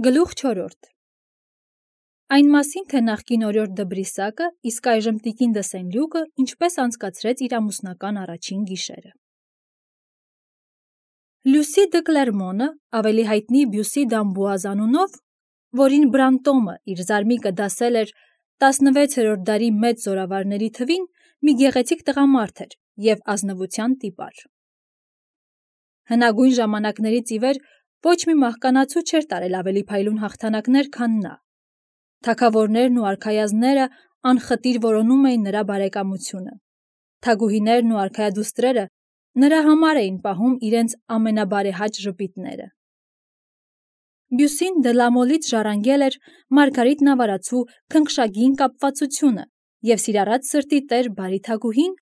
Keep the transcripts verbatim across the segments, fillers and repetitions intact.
Գլուխ չորրորդ Այն մասին, թե նախկին օրիորդ Դբրիսակը, իսկ այժմ տիկին դը Սենլյուկը ինչպես անցկացրեց իր ամուսնական առաջին գիշերը։ Լյուսի դը Կլերմոնը, ավելի հայտնի Բյուսի դ'Ամբուազ անունով, որին Բրանտոմը իր զարմիկը դասել էր տասնվեցերորդ դարի մեծ զորավարների թվին, մի գեղեցիկ տղամարդ էր և ազնվության տիպար։ Հնագույն ժամանակներից ի վեր ոչ մի մահկանացու չէր տարել ավելի փայլուն հաղթանակներ, քան նա։ Թագավորներն ու արքայազնները անխտիր որոնում էին նրա բարեկամությունը։ Թագուհիներն ու արքայադուստրերը նրա համար էին պահում իրենց ամենաբարեհաճ ժպիտները։ Բյուսին դե Լամոլից ժառանգել էր Մարգարիտ Նավարացու քնքշագին կապվածությունը և սիրառած սրտի տեր բարի թագուհին,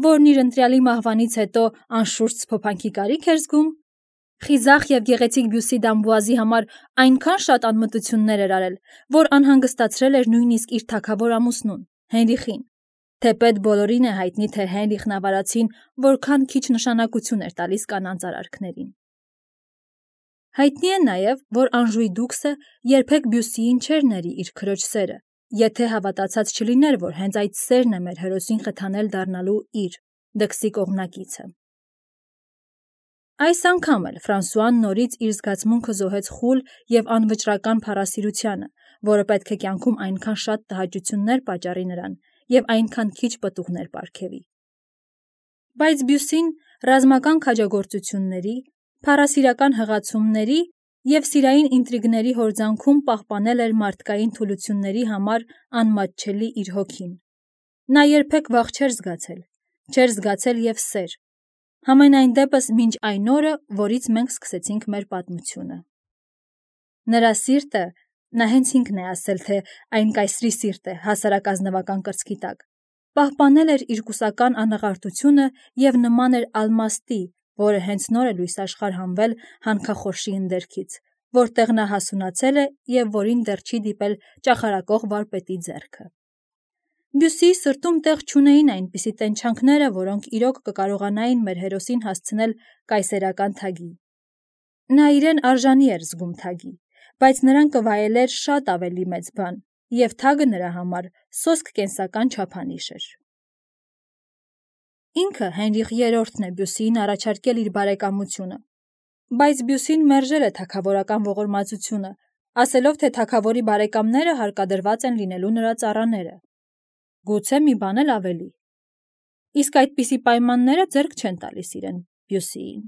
որն իր ընտրյալի մահվանից հետո անշուշտ սփոփանքի կարիք էր զգում, խիզախ և գեղեցիկ Բյուսի դ'Ամբուազի համար այնքան շատ անմտություններ էր արել, որ անհանգստացրել էր նույնիսկ իր թագավոր ամուսնուն՝ Հենրիխին, թեպետ բոլորին է հայտնի, թե Հենրիխ Նավարացին որքան քիչ նշանակություն էր տալիս կանանց արարքներին։ Հայտնի է նաև, որ Անժուի դուքսը երբեք Բյուսիին չէր ների իր քրոջ սերը, եթե հավատացած չլիներ, որ հենց այդ սերն է մեր հերոսին խթանել դառնալու իր՝ դքսի կողմնակիցը։ Այս անգամ էլ Ֆրանսուան նորից իր զգացմունքը զոհեց խուլ և անվճռական փառասիրությանը, որը պետք է կյանքում այնքան շատ տհաճություններ պատճառի նրան և այնքան քիչ պտուղներ պարգևի։ Բայց Բյուսին ռազմական քաջագործությունների, փառասիրական հղացումների և սիրային ինտրիգների հորձանքում պահպանել էր մարդկային թուլությունների համար անմատչելի իր հոգին։ Նա երբեք վախ չէր զգացել, չէր զգացել և սեր, համենայն դեպս մինչ այն օրը, որից մենք սկսեցինք մեր պատմությունը։ Նրա սիրտը, նա հենց ինքն է ասել, թե այն կայսրի սիրտ է հասարակ ազնվական կրծքի տակ, պահպանել էր իր կուսական անաղարտությունը և նման էր ալմաստի, որը հենց նոր է լույս աշխարհ հանվել հանքախորշի ընդերքից, որտեղ նա հասունացել է և որին դեռ չի դիպել ճախարակող վարպետի ձեռքը։ Բյուսիի սրտում տեղ չունեին այնպիսի տենչանքները, որոնք իրոք կկարողանային մեր հերոսին հասցնել կայսերական թագի։ Նա իրեն արժանի էր զգում թագի, բայց նրան կվայելեր շատ ավելի մեծ բան, և թագը նրա համար սոսկ կենսական չափանիշ էր։ Ինքը Հենրիխ երրորդն է Բյուսիին առաջարկել իր բարեկամությունը, բայց Բյուսին մերժել է թագավորական ողորմածությունը, ասելով, թե թագավորի բարեկամները հարկադրված են լինելու նրա ծառաները, գուցե մի բան էլ ավելի, իսկ այդպիսի պայմանները ձեռք չեն տալիս իրեն՝ Բյուսիին։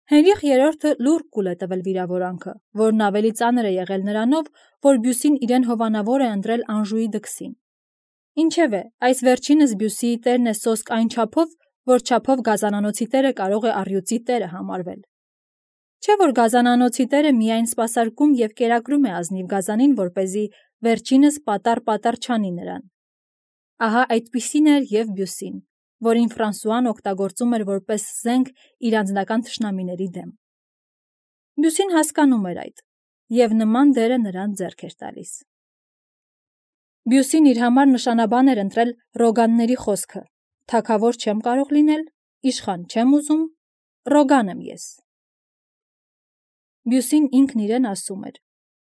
Հենրիխ երրորդը լուռ կուլ է տվել վիրավորանքը, որն ավելի ծանր է եղել նրանով, որ Բյուսին իրեն հովանավոր է ընտրել Անժուի դքսին։ Ինչևէ, այս վերջինս Բյուսիի տերն է սոսկ այն չափով, որ չափով գազանանոցի տերը կարող է առյուծի տերը համարվել։ Չէ՞ որ գազանանոցի տերը միայն սպասարկում և կերակրում է ազնիվ գազանին, որպեսզի վերջինս պատառ-պատառ չանի նրան։ Ահա այդպիսին էր և Բյուսին, որին Ֆրանսուան օգտագործում էր որպես զենք իր անձնական թշնամիների դեմ։ Բյուսին հասկանում էր այդ, և նման դերը նրան ձեռք էր տալիս։ Բյուսին իր համար նշանաբան էր ընտրել Ռոգանների խոսքը. «Թագավոր չեմ կարող լինել, իշխան չեմ ուզում, Ռոգան եմ ես»։ Բյուսին ինքն իրեն ասում էր.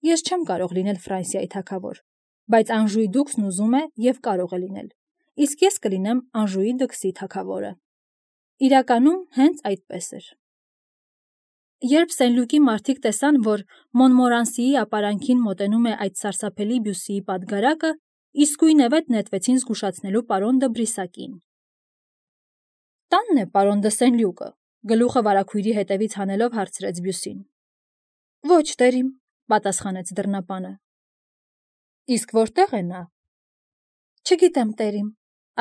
«Ես չեմ կարող լինել Ֆրանսիայի թագավոր, բայց Անժուի դուքսն ուզում է և կարող է լինել, իսկ ես կլինեմ Անժուի դքսի թագավորը»։ Իրականում հենց այդպես էր։ Երբ Սենլյուկի մարդիկ տեսան, որ Մոնմորանսիի ապարանքին մոտենում է այդ սարսափելի Բյուսիի պատգարակը, իսկույնևեթ նետվեցին զգուշացնելու պարոն Դբրիսակին։ «Տա՞նն է պարոն դը Սենլյուկը», գլուխը վարագույրի հետևից հանելով հարցրեց Բյուսին։ «Ոչ, տերիմ», պատասխանեց դռնապանը։ «Իսկ որտե՞ղ է նա»։ «Չգիտեմ, տերիմ»,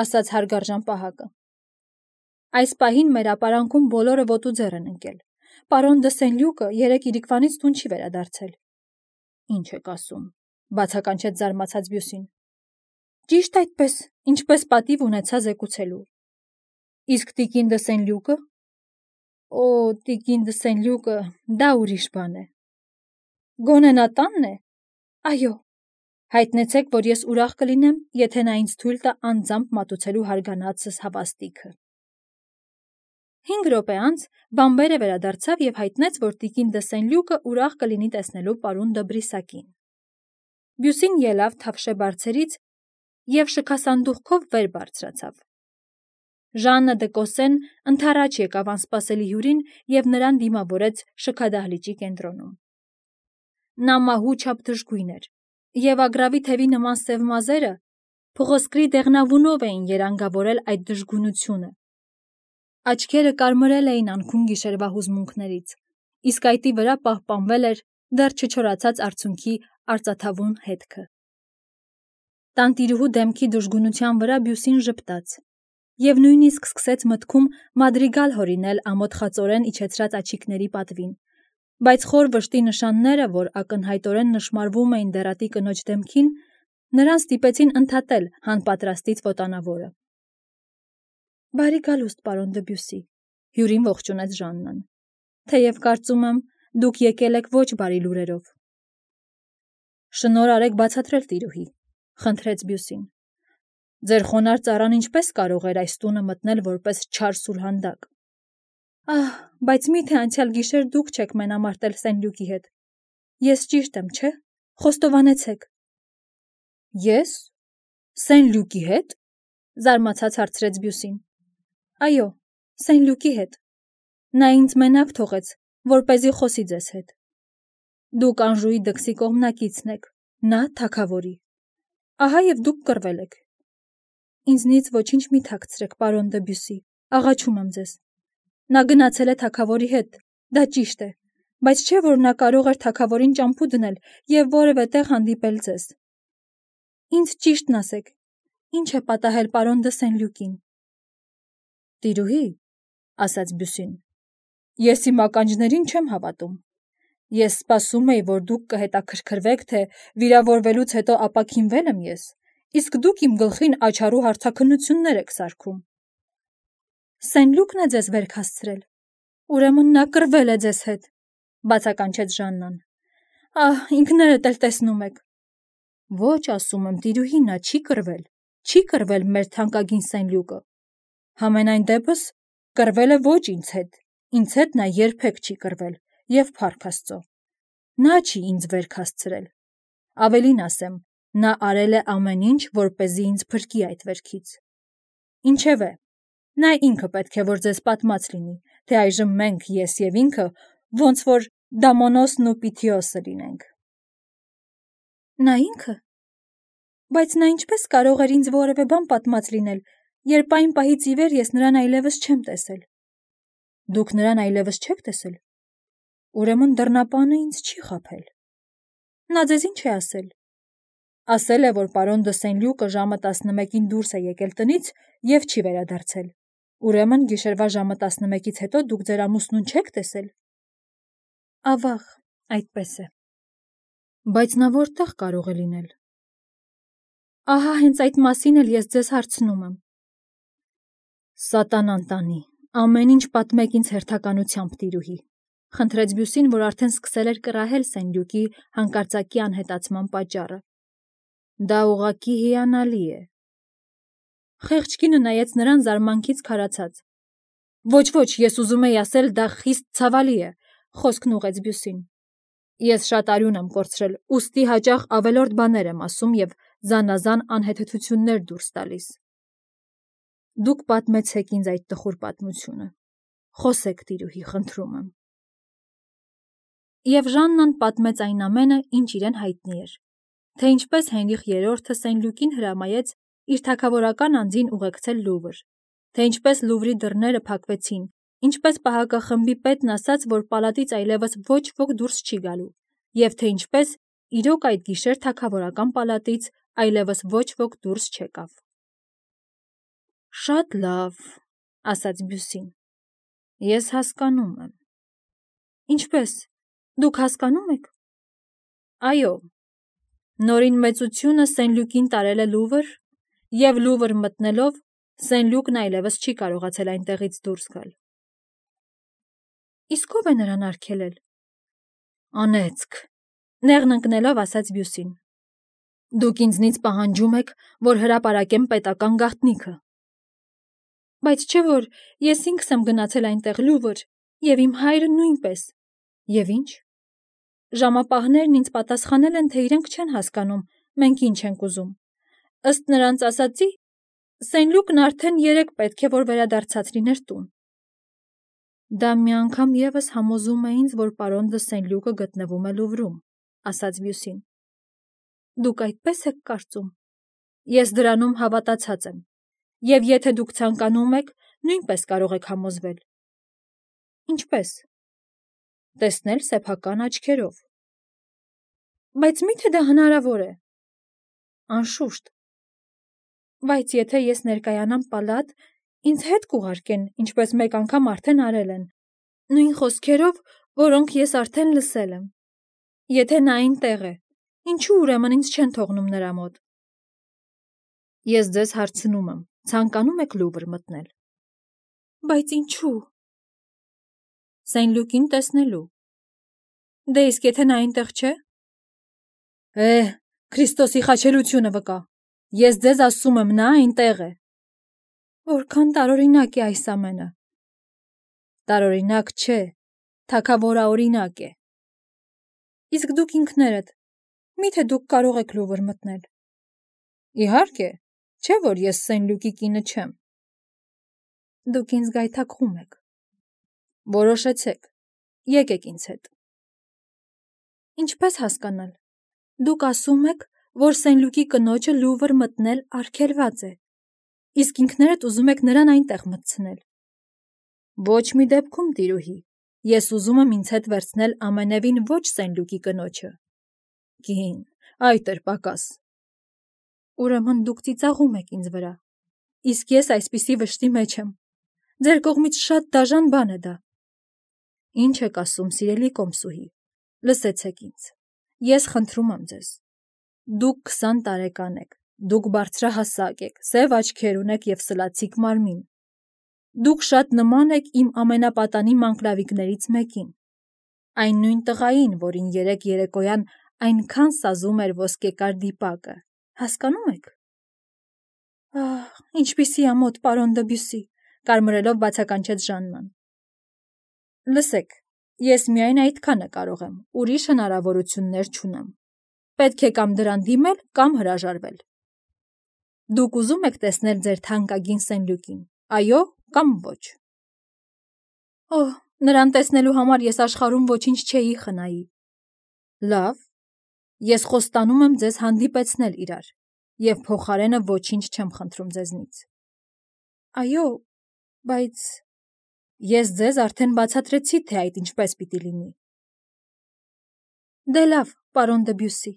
ասաց հարգարժան պահակը։ «Այս պահին մեր ապարանքում բոլորը ոտուձեռ են ընկել։ Պարոն դը Սենլյուկը երեկ իրիկվանից տուն չի վերադարձել»։ «Ինչ եք ասում», բացականչեց զարմացած Բյուսին։ «Ճիշտ այդպես, ինչպես պատիվ ունեցա զեկուցելու»։ «Իսկ տիկին դը Սենլյուկը»։ «Օ, տիկին դը Սենլյուկը, դա ուրիշ բան է»։ «Գոնե նա տա՞նն է»։ «Այո»։ «Հայտնեցեք, որ ես ուրախ կլինեմ, եթե նա ինձ թույլ տա անձամբ մատուցելու հարգանածս հավաստիքը»։ Հինգ րոպե անց Բամբերը վերադարձավ եւ հայտնեց, որ տիկին դե Սեն-Լյուկը ուրախ կլինի տեսնելու պարոն դը Բրիսակին։ Բյուսին ելավ թավշե բարձերից եւ շքասանդուղքով վեր բարձրացավ։ Ժաննը դե Կոսեն ընդառաջ եկավ անսպասելի հյուրին եւ նրան դիմավորեց շքադահլիճի կենտրոնում։ Նա մահու չափ դժգույն էր, եւ ագռավի թևի նման սև մազերը փղոսկրի դեղնավունով էին երանգավորել այդ դժգունությունը։ Աչքերը կարմրել էին անքուն գիշերվա հուզմունքներից, իսկ այտի վրա պահպանվել էր դեռ չչորացած արցունքի արծաթավուն հետքը։ Տանտիրուհու դեմքի դժգունության վրա Բյուսին ժպտաց եւ նույնիսկ սկսեց մտքում մադրիգալ հորինել ամոթխածորեն իջեցրած աչիկների պատվին, բայց խոր վշտի նշանները, որ ակնհայտորեն նշմարվում էին դեռատի կնոջ դեմքին, նրան ստիպեցին ընդհատել հանպատրաստից վոտանավորը։ Բարի գալուստ, պարոն դը Բյուսի, հյուրին ողջունեց Ժաննան, թեև կարծում եմ, դուք եկել եք ոչ բարի լուրերով։ Շնոր արեք բացատրել, տիրուհի, խնդրեց Բյուսին։ Ձեր խոնար ծառան ինչպես կարող էր այս տունը մտնել որպես չար սուրհանդակ։ Ահ, բայց միթե անցյալ գիշեր դուք չեք մենամարտել Սեն-Լյուկի հետ։ Ես ճիշտ եմ, չէ՞։ Խոստովանեցեք։ Ես Սեն-Լյուկի հետ, զարմացած հարցրեց Բյուսին։ Այո, Սեն-Լյուկի հետ։ Նա ինձ մենակ թողեց, որպեսզի խոսի ձեզ հետ։ Դուք Անժուի դքսի կողմնակիցն եք, նա թագավորի։ Ահա եւ դուք կռվել եք։ Ինձնից ոչինչ մի թաքցրեք, պարոն դը Բյուսի, աղաչում եմ ձեզ։ Նա գնացել է թագավորի հետ, դա ճիշտ է, բայց չէ՞ որ նա կարող էր թագավորին ճամփու դնել եւ որևէ տեղ հանդիպել ձեզ։ Ինձ ճիշտն ասեք, ինչ է պատահել պարոն դը Սեն-Լյուկին։ Տիրուհի, ասաց Բյուսին, ես իմ ականջներին չեմ հավատում։ Ես սպասում էի, որ դուք կհետաքրքրվեք, թե վիրավորվելուց հետո ապաքինվել եմ ես, իսկ դուք իմ գլխին աչառու հարցաքննություններ եք սարքում։ Սեն-Լյուկն է ձեզ վերք հասցրել։ Ուրեմն նա կռվել է ձեզ հետ, բացականչեց Ժաննան։ Ահ, ինքներդ էլ տեսնում եք։ Ոչ, ասում եմ, տիրուհի, նա չի կռվել, չի կռվել մեր թանկագին Սեն-Լյուկը։ Համենայն դեպս կռվել է ոչ ինձ հետ, ինձ հետ նա երբեք չի կռվել, եւ փառք Աստծո։ Նա չի ինձ վերք հասցրել։ Ավելին ասեմ, նա արել է ամեն ինչ, որպեսզի ինձ փրկի այդ վերքից։ Ինչևէ, նա ինքը պետք է որ ձեզ պատմած լինի, թե այժմ մենք, ես եւ ինքը, ոնց որ Դամոնոսն ու Պիթիոսը լինենք։ Նա ինքը։ Բայց նա ինչպես կարող էր ինձ որևէ բան պատմած լինել, երբ այն պահից ի վեր ես նրան այլևս չեմ տեսել։ Դուք նրան այլևս չեք տեսել։ Ուրեմն դռնապանը ինձ չի խաբել։ Նա ձեզ ինչ է ասել։ Ասել է, որ պարոն դը Սեն-Լյուկը ժամը տասնմեկին դուրս է եկել տնից եւ չի վերադարձել։ Ուրեմն գիշերվա ժամը տասնմեկից հետո դուք ձեր ամուսնուն չեք տեսել։ Ավաղ, այդպես է։ Բայց նա որտեղ կարող է լինել։ Ահա հենց այդ մասին էլ ես ձեզ հարցնում եմ։ Սատանան տանի, ամեն ինչ պատմեք ինձ հերթականությամբ, տիրուհի, խնդրեց Բյուսին, որ արդեն սկսել էր կռահել Սեն-Լյուկի հանկարծակի անհետացման պատճառը։ Դա ուղղակի հիանալի է։ Խեղճկինը նայեց նրան զարմանքից քարացած։ Ոչ, ոչ, ես ուզում էի ասել, դա խիստ ցավալի է, խոսքն ուղեց Բյուսին։ Ես շատ արյուն եմ կորցրել, ուստի հաճախ ավելորդ բաներ եմ ասում եւ զանազան անհեթեթություններ դուրս տալիս։ Դուք պատմեցեք ինձ այդ տխուր պատմությունը։ Խոսեք, տիրուհի, խնդրում եմ։ Եվ Ժաննան պատմեց այն ամենը, ինչ իրեն հայտնի էր, թե ինչպես Հենրիխ երրորդը Սեն-Լյուկին հրամայեց իր թագավորական անձին ուղեկցել Լուվր, թե ինչպես Լուվրի դռները փակվեցին, ինչպես պահակախմբի պետն ասաց, որ պալատից այլևս ոչ ոք դուրս չի գալու, եւ թե ինչպես իրոք այդ գիշեր թագավորական պալատից այլևս ոչ ոք դուրս չեկավ։ Շատ լավ, ասաց Բյուսին։ Ես հասկանում եմ։ Ինչպես, դուք հասկանում եք։ Այո, նորին մեծությունը Սեն-Լյուկին տարել է Լուվր, եւ Լուվր մտնելով Սեն-Լյուկն այլևս չի կարողացել այնտեղից դուրս գալ։ Իսկ ով է նրան արգելել։ Անեծք, նեղն ընկնելով ասաց Բյուսին։ Դուք ինձնից պահանջում եք, որ հրապարակեմ պետական գաղտնիքը։ Բայց չէ որ ես ինքս եմ գնացել այնտեղ Լուվր, եւ իմ հայրը նույնպես։ Եվ ինչ։ Ժամապահներն ինձ պատասխանել են, թե իրենք չեն հասկանում, մենք ինչ ենք ուզում։ Ըստ նրանց ասացի, Սեն Լուկն արդեն երեք պետք է որ վերադարձած լիներ տուն։ Դա մի անգամ եւս համոզում է ինձ, որ պարոն դը Սեն Լուկը գտնվում է Լուվրում, ասաց Բյուսին։ Դուք այդպես եք կարծում։ Ես դրանում հավատացած եմ, եւ եթե դուք ցանկանում եք, նույնպես կարող եք համոզվել։ Ինչպես։ Տեսնել սեփական աչքերով։ Բայց միթե դա հնարավոր է։ Անշուշտ։ Բայց եթե ես ներկայանամ պալատ, ինձ հետ կուղարկեն, ինչպես մեկ անգամ արդեն արել են, նույն խոսքերով, որոնք ես արդեն լսել եմ։ Եթե նա այնտեղ է, ինչու ուրեմն ինձ չեն թողնում նրա մոտ։ Ես ձեզ հարցնում եմ, ցանկանում եք Լուվր մտնել։ Բայց ինչու։ Սեն Լուկին տեսնելու։ Դե իսկ եթե նա այնտեղ չէ։ Է, Քրիստոսի խաչելությունը վկա։ Ես ձեզ ասում եմ, նա այնտեղ է։ Որքան տարօրինակ է այս ամենը։ Տարօրինակ չէ, թագավորաօրինակ է։ Իսկ դուք ինքներդ, միթե դուք կարող եք Լուվր մտնել։ Իհարկե, չէ որ ես Սեն Լուկի կինը չեմ։ Դուք ինձ գայթակղում եք։ Որոշեցեք, եկեք ինձ հետ։ Ինչպես հասկանալ։ Դուք ասում եք, որ Սեն Լուկի կնոջը Լուվր մտնել արգելված է, իսկ ինքներդ ուզում եք նրան այնտեղ մտցնել։ Ոչ մի դեպքում, տիրուհի, ես ուզում եմ ինձ հետ վերցնել ամենևին ոչ Սեն Լուկի կնոջը։ Կին, այդ էր պակաս։ Ուրեմն դուք ծիծաղում եք ինձ վրա, իսկ ես այսպիսի վշտի մեջ եմ։ Ձեր կողմից շատ դաժան բան է դա։ Ինչ եք ասում, սիրելի կոմսուհի, լսեցեք ինձ, ես խնդրում եմ ձեզ։ Դուք քսան տարեկան եք, դուք բարձրահասակ եք, սև աչքեր ունեք և սլացիկ մարմին։ Դուք շատ նման եք իմ ամենապատանի մանկլավիկներից մեկին, այն նույն տղային, որին երեկ երեկոյան այնքան սազում էր ոսկեկար դիպակը, հասկանում եք։ Ահ, ինչպիսի ամոթ, պարոն Դեբյուսի, կարմրելով բացականչեց Ժաննան։ Լսեք, ես միայն այդքանը կարող եմ, ուրիշ հնարավորություններ չունեմ։ Պետք է կամ դրան դիմել, կամ հրաժարվել։ Դուք ուզում եք տեսնել ձեր թանկագին Սեն Լուկին, այո, կամ ոչ։ Օհ, նրան տեսնելու համար ես աշխարհում ոչինչ չէի խնայի։ Լավ, ես խոստանում եմ ձեզ հանդիպեցնել իրար, և փոխարենը ոչինչ չեմ խնդրում ձեզնից։ Այո, բայց ես ձեզ արդեն բացատրեցի, թե այդ ինչպես պիտի լինի։ Դե լավ, պարոն Դեբյուսի,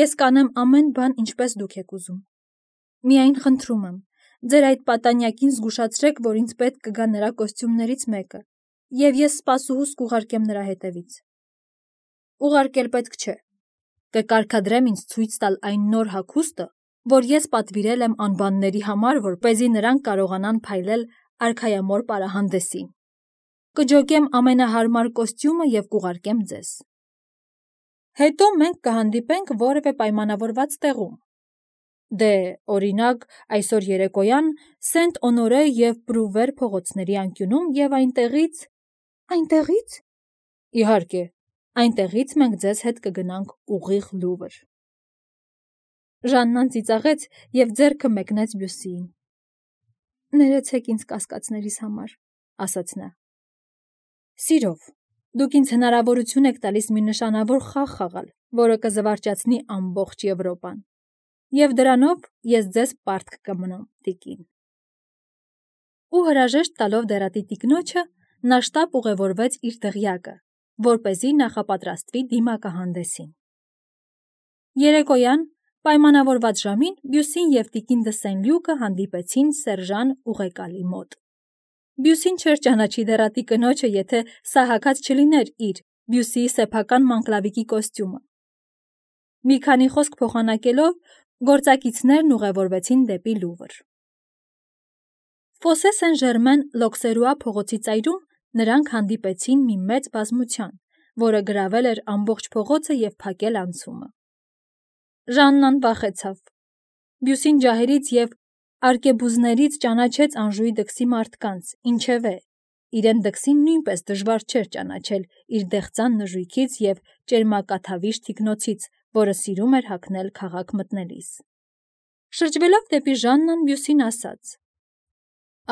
ես կանեմ ամեն բան, ինչպես դուք եք ուզում։ Միայն խնդրում եմ, ձեր այդ պատանյակին զգուշացրեք, որ ինձ պետք կգա նրա կոստյումներից մեկը, և ես սպասուհուս կուղարկեմ նրա հետևից։ Ուղարկել պետք չէ։ Կկարգադրեմ ինձ ցույց տալ այն նոր հագուստը, որ ես պատվիրել եմ անբանների համար, որպեսզի նրանք կարողանան փայլել արքայամոռ պարահանդեսին։ Կջոկեմ ամենահարմար կոստյումը և կուղարկեմ ձեզ։ Հետո մենք կհանդիպենք որևէ պայմանավորված տեղում։ Դե, օրինակ, այսօր երեկոյան Սենտ Օնորե և Պրուվեր փողոցների անկյունում և այնտեղից… Այնտեղի՞ց։ Իհարկե, այնտեղից մենք ձեզ հետ կգնանք ուղիղ Լուվր։ Ժաննան ծիծաղեց և ձեռքը մեկնեց Բյուսիին։ Ներեցեք ինձ կասկածներիս համար, ասաց նա։ Սիրով, դուք ինձ հնարավորություն եք տալիս մի նշանավոր խաղ խաղալ, որը կզվարճացնի ամբողջ Եվրոպան, և դրանով ես ձեզ պարտք կմնամ, տիկին։ Ու հրաժեշտ տալով դեռատի տիկնոջը, նա շտապ ուղևորվեց իր դղյակը, որպեսզի նախապատրաստվի դիմակահանդեսին։ Երեկոյան, պայմանավորված ժամին, Բյուսին և տիկին դը Սեն Լյուկը հանդիպեցին Սերժան ուղեկալի մոտ։ Բյուսին չէր ճանաչի դեռատի կնոջը, եթե սա հագած չլիներ իր, Բյուսիի սեփական մանկլավիկի կոստյումը։ Մի քանի խոսք փոխանակելով, գործակիցներն ուղևորվեցին դեպի Լուվր։ Ֆոսե Սեն Ժերմեն Լոքսերուա փողոցի ծայրում նրանք հանդիպեցին մի մեծ բազմության, որը գրավել էր ամբողջ փողոցը և փակել անցումը։ Ժաննան վախեցավ։ Բյուսին ջահերից և Արկեբուզներից ճանաչեց Անժուի դքսի մարդկանց, ինչևէ, իրեն դքսին նույնպես դժվար չէր ճանաչել իր դեղծան նժույգից և ճերմակաթավիշ թիկնոցից, որը սիրում էր հագնել քաղաք մտնելիս։ Շրջվելով դեպի Ժաննան, Բյուսին ասաց.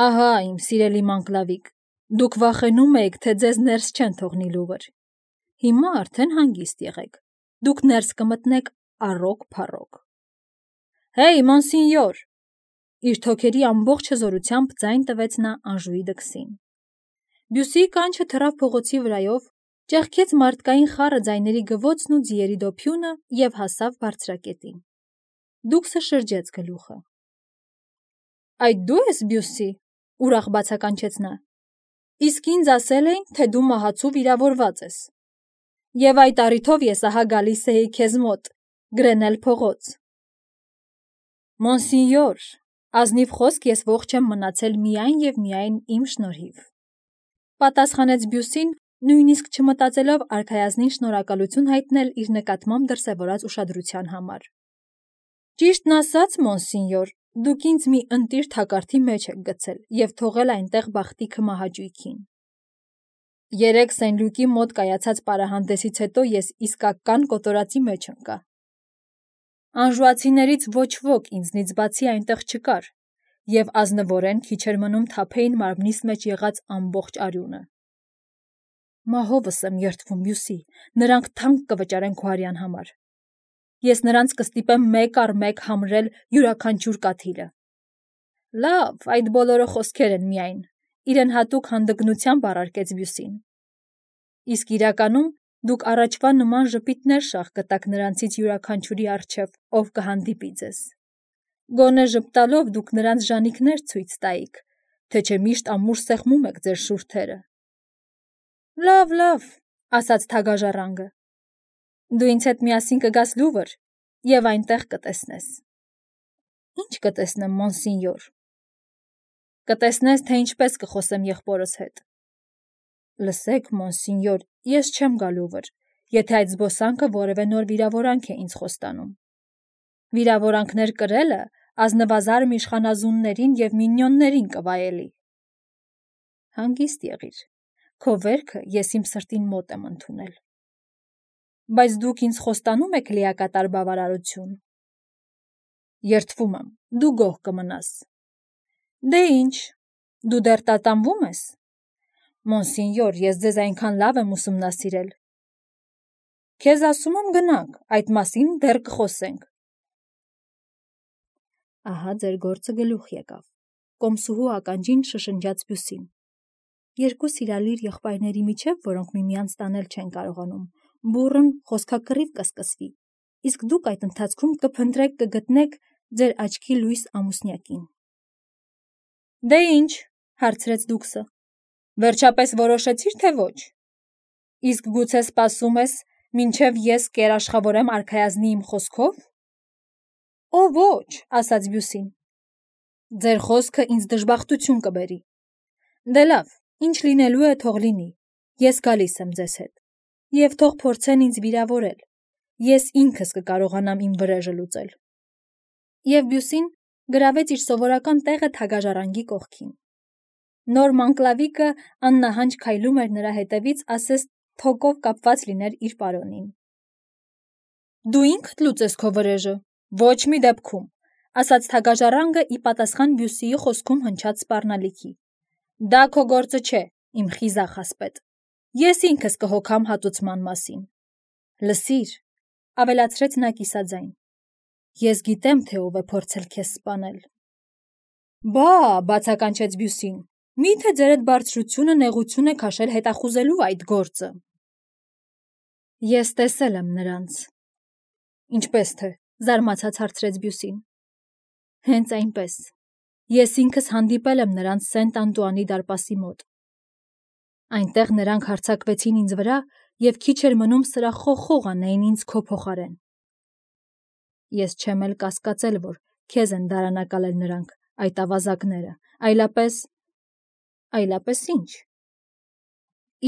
«Ահա, իմ սիրելի Մանկլավիկ, դուք վախենում եք, թե ձեզ ներս չեն թողնի Լուվր։ Հիմա արդեն հանգիստ եղեք, դուք ներս կմտնեք առոք-փառոք»։ «Հեյ, մոնսինյոր», իր թոքերի ամբողջ հզորությամբ ձայն տվեց նա Անժուի դքսին։ Բյուսիի կանչը թռավ փողոցի վրայով, ճեղքեց մարդկային խառը ձայների գվոցն ու ձիերի դոփյունը և հասավ բարձրակետին։ Դուքսը շրջեց գլուխը։ «Այդ դու ես, Բյուսի», ուրախ բացականչեց նա։ «Իսկ ինձ ասել էին, թե դու մահացու վիրավորված ես։ Եվ այդ առիթով ես ահա գալիս էի քեզ մոտ, գրենել փողոց»։ «Մոնսինյոր, ազնիվ խոսք ես ողջ եմ մնացել միայն և միայն իմ շնորհիվ», պատասխանեց Բյուսին, նույնիսկ չմտածելով արքայազնին շնորհակալություն հայտնել իր նկատմամբ դրսևորած ուշադրության համար։ «Ճիշտն ասած, մոնսինյոր, դուք ինձ մի ընտիր թակարդի մեջ եք գցել և թողել այնտեղ բախտիքը մահաճույքին։ Երեկ Սեն Լյուկի մոտ կայացած պարահանդեսից հետո ես իսկական կոտորածի մեջ ընկա։ Անժուացիներից ոչ ոք ինձնից բացի այնտեղ չկար, և ազնվորեն քիչ էր մնում թափեին մարմնիս մեջ եղած ամբողջ արյունը։ Մահովս եմ երդվում, Բյուսի, նրանք թանկ կվճարեն քո հարյան համար։ Ես նրանց կստիպեմ մեկ առ մեկ համրել յուրաքանչյուր կաթիլը։ Լավ, այդ բոլորը խոսքեր են միայն, իրեն հատուկ հանդգնությամբ առարկեց Բյուսին։ Իսկ իրականում դուք առաջվա նման ժպիտներ շաղ կտաք նրանցից յուրաքանչյուրի առջև, ով կհանդիպի ձեզ։ Գոնե ժպտալով դուք նրանց ժանիքներ ցույց տայիք, թե չէ միշտ ամուր սեղմում եք ձեր շուրթերը։ Լավ, լավ, ասաց թագաժառանգը։ Դու ինձ հետ միասին կգաս Լուվր և այնտեղ կտեսնես։ Ինչ կտեսնեմ, մոնսինյոր։ Կտեսնես, թե ինչպես կխոսեմ եղբորս հետ։ Լսեք, մոնսինյոր, ես չեմ գա Լուվր, եթե այդ զբոսանքը որևէ նոր վիրավորանք է ինձ խոստանում։ Վիրավորանքներ կրելը ազնվազարմ իշխանազուններին և մինյոններին կվայելի։ Հանգիստ եղիր, քո վերքը ես իմ սրտին մոտ եմ ընդունել։ Բայց դուք ինձ խոստանում եք լիակատար բավարարություն։ Երդվում եմ, դու գոհ կմնաս։ Դե ինչ, դու դեռ տատանվում ես։ Մոնսինյոր, ես ձեզ այնքան լավ եմ ուսումնասիրել։ Քեզ ասում եմ գնանք, այդ մասին դեռ կխոսենք։ Ահա ձեր գործը գլուխ եկավ, կոմսուհու ականջին շշնջաց Բյուսին։ Երկու սիրալիր եղբայրների միջև, որոնք միմյանց տանել չեն կարողանում, բուռն խոսքակռիվ կսկսվի, իսկ դուք այդ ընթացքում կփնտրեք կգտնեք ձեր աչքի լույս ամուսնյակին։ Դե ինչ, հարցրեց դուքսը, վերջապես որոշեցիր, թե ոչ։ Իսկ գուցե սպասում ես, մինչև ես կերաշխավորեմ արքայազնի իմ խոսքով։ Օ ոչ, ասաց Բյուսին։ Ձեր խոսքը ինձ դժբախտություն կբերի։ Դե լավ, ինչ լինելու է, թող լինի, ես գալիս եմ ձեզ հետ, և թող փորձեն ինձ վիրավորել, ես ինքս կկարողանամ իմ վրեժը լուծել։ Եվ Բյուսին գրավեց իր սովորական տեղը թագաժառանգի կողքին։ Նոր Մանկլավիկը աննահանջ քայլում էր նրա հետևից, ասես թոկով կապված լիներ իր պարոնին։ Դու ինքդ լուծես քո վրեժը, ոչ մի դեպքում, ասաց թագաժառանգը ի պատասխան Բյուսիի խոսքում հնչած սպառնալիքի։ Դա քո գործը չէ, իմ խիզախ ասպետ։ Ես ինքս կհոգամ հատուցման մասին։ Լսիր, ավելացրեց նա կիսաձայն։ Ես գիտեմ, թե ով է փորձել քեզ սպանել։ Բա, բացականչեց Բյուսին, միթե ձեր այդ բարձրությունը նեղություն է քաշել հետախուզելու այդ գործը։ Ես տեսել եմ նրանց։ Ինչպես թե, զարմացած հարցրեց Բյուսին։ Հենց այնպես։ Ես ինքս հանդիպել եմ նրանց Սենտ Անտուանի դարպասի մոտ։ Այնտեղ նրանք հարձակվեցին ինձ վրա և քիչ էր մնում սրախոխող անեին ինձ քո փոխարեն։ Ես չեմ էլ կասկածել, որ քեզ են դարանակալել նրանք, այդ ավազակները, այլապես… Այլապես ինչ։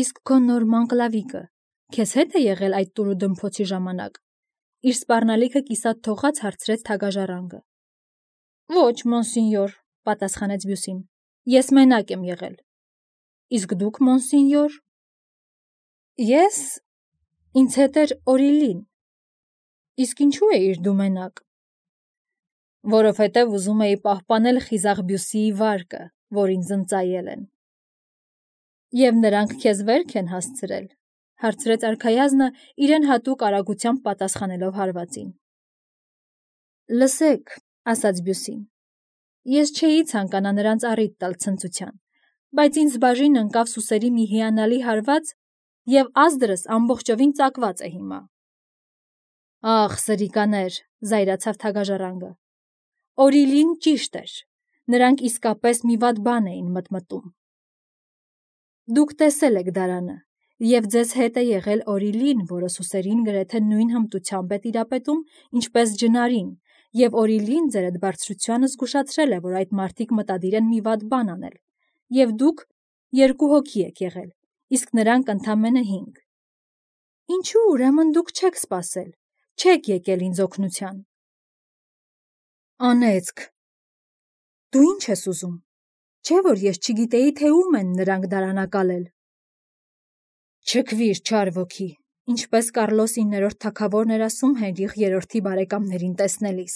Իսկ քո նոր Մանկլավիկը քեզ հետ է եղել այդ տուրու դմփոցի ժամանակ։ Իր սպառնալիքը կիսատ թողած հարցրեց թագաժառանգը։ Ոչ, մոնսինյոր, պատասխանեց Բյուսին, ես մենակ եմ եղել։ Իսկ դուք, մոնսինյոր։ Ես, ինձ հետ էր Օրիլին։ Իսկ ինչու էիր դու մենակ։ Որովհետև ուզում էի պահպանել խիզախ Բյուսիի վարկը, որ ինձ ընծայել են։ Եվ նրանք քեզ վերք են հասցրել, հարցրեց արքայազնը իրեն հատուկ արագությամբ պատասխանելով հարվածին։ Լսեք, ասաց Բյուսին, ես չէի ցանկանա նրանց առիթ տալ ցնծության, բայց ինձ բաժին ընկավ սուսերի մի հիանալի հարված և ազդրս ամբողջովին ծակված է հիմա։ Ախ, սրիկաներ, զայրացավ թագաժառանգը։ Օրիլին ճիշտ էր, նրանք իսկապես մի վատ բան էին մտմտում։ Դուք տեսել եք դարանը, և ձեզ հետ է եղել Օրիլին, որը սուսերին գրեթե նույն հմտությամբ է տիրապետում, ինչպես ջնարին, և Օրիլին ձեր այդ բարձրությանը զգուշացրել է, որ այդ մարդիկ մտադիր են մի վատ բան անել, և դուք երկու հոգի եք եղել, իսկ նրանք ընդամենը հինգ։ Ինչու ուրեմն դուք չեք սպասել, չեք եկել ինձ օգնության։ Անեծք։ Դու ինչ ես ուզում, չէ՞ որ ես չգիտեի, թե ում են նրանք դարանակալել։ Չքվիր, չար ոգի, ինչպես Կառլոս իններորդ թագավորն էր ասում Հենրիխ երրորդի բարեկամներին տեսնելիս։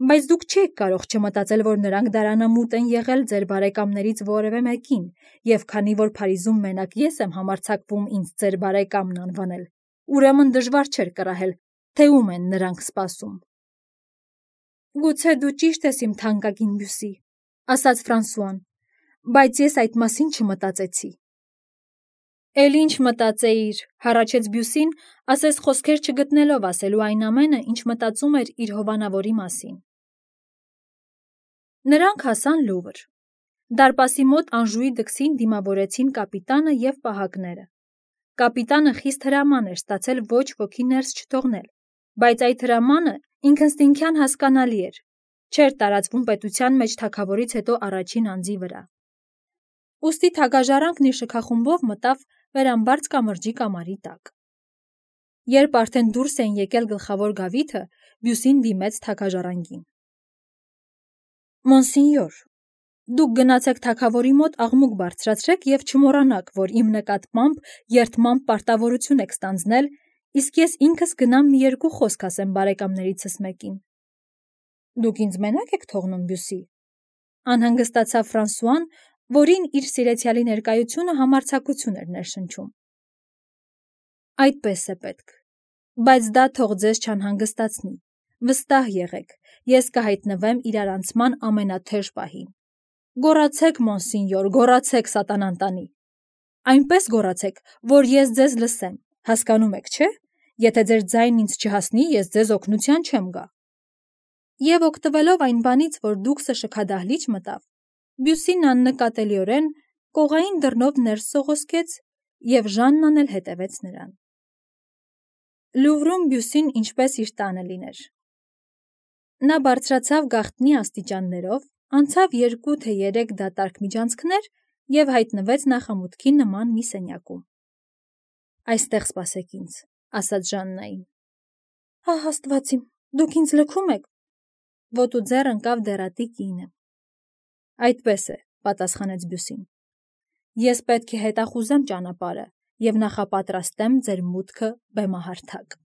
Բայց դուք չեք կարող չմտածել, որ նրանք դարանամուտ են եղել ձեր բարեկամներից որևէ մեկին, և քանի որ Փարիզում մենակ ես եմ համարձակվում ինձ ձեր բարեկամն անվանել, ուրեմն դժվար չէր կռահել, թե ում են նրանք սպասում։ Գուցե դու ճիշտ ես, իմ թանկագին Բյուսի, ասաց Ֆրանսուան, բայց ես այդ մասին չմտածեցի։ Էլ ինչ մտածեիր, հառաչեց Բյուսին, ասես խոսքեր չգտնելով ասելու այն ամենը, ինչ մտածում էր իր հովանավորի մասին։ Նրանք հասան Լուվր։ Դարպասի մոտ Անժուի դքսին դիմավորեցին կապիտանը և պահակները։ Կապիտանը խիստ հրաման էր ստացել ոչ ոքի ներս չթողնել, բայց այդ հրամանը ինքնըստինքյան հասկանալի էր, չէր տարածվում պետության մեջ թագավորից հետո առաջին անձի վրա։ Ուստի թագաժառանգն իր շքախումբով մտավ վերամբարձ կամրջի կամարի տակ։ Երբ արդեն դուրս էին եկել գլխավոր գավիթը, Բյուսին դիմեց թագաժառանգին։ Մոնսինյոր, դուք գնացեք թագավորի մոտ աղմուկ բարձրացրեք և չմոռանաք, որ իմ նկատմամբ երդմամբ պարտավորություն եք ստանձնել, իսկ ես ինքս գնամ մի երկու խոսք ասեմ բարեկամներիցս մեկին։ Դուք ինձ մենակ եք թողնում, Բյուսի, անհանգստացավ Ֆրանսուան, որին իր սիրեցյալի ներկայությունը համարձակություն էր ներշնչում։ Այդպես է պետք, բայց դա թող ձեզ չանհանգստացնի, վստահ եղեք, ես կհայտնվեմ իրարանցման ամենաթեժ պահին։ Գոռացեք, մոնսինյոր, գոռացեք, սատանան տանի։ Այնպես գոռացեք, որ ես ձեզ լսեմ, հասկանում եք, չէ՞, եթե ձեր ձայնն ինձ չհասնի, ես ձեզ օգնության չեմ գա։ Եվ օգտվելով այն բանից, որ դուքսը շքադահլիճ մտավ, Բյուսին աննկատելիորեն կողային դռնով ներս սողոսկեց, և Ժաննան էլ հետևեց նրան։ Լուվրում Բյուսին ինչպես իր տանը լիներ։ Նա բարձրացավ գաղտնի աստիճաններով, անցավ երկու թե երեք դատարկ միջանցքներ և հայտնվեց նախամուտքի նման մի սենյակում։ Այստեղ սպասեք ինձ, ասաց Ժաննային։ Ահ, Աստված իմ, դուք ինձ լքում եք։ Ոտու ձեռ ընկավ դեռատի կինը։ Այդպես է, պատասխանեց Բյուսին։ Ես պետք է հետախուզեմ ճանապարհը և նախապատրաստեմ ձեր մուտքը բեմահարթակ։